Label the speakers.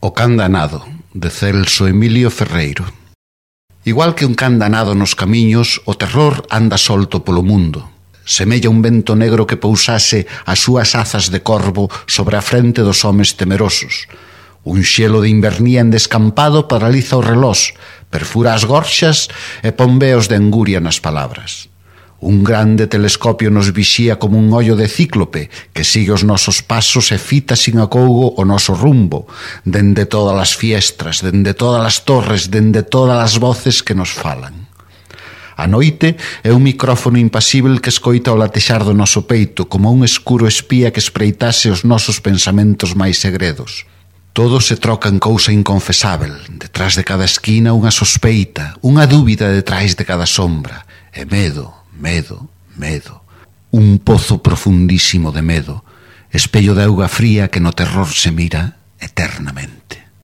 Speaker 1: O can danado, de Celso Emilio Ferreiro. Igual que un can danado nos camiños, o terror anda solto polo mundo. Semella un vento negro que pousase as súas azas de corvo sobre a frente dos homes temerosos. Un xelo de invernía en descampado paraliza o relós, perfura as gorxas e pon veos de anguria nas palabras. Un grande telescopio nos vixía como un ollo de cíclope que sigue os nosos pasos e fita sin acougo o noso rumbo, dende todas as fiestras, dende todas as torres, dende todas as voces que nos falan. A noite é un micrófono impasível que escoita o latexar do noso peito como un escuro espía que espreitase os nosos pensamentos máis segredos. Todo se troca en cousa inconfesável, detrás de cada esquina unha sospeita, unha dúbida detrás de cada sombra, e medo. Medo, medo, un pozo profundísimo de medo, espello de auga fría que no terror se mira eternamente.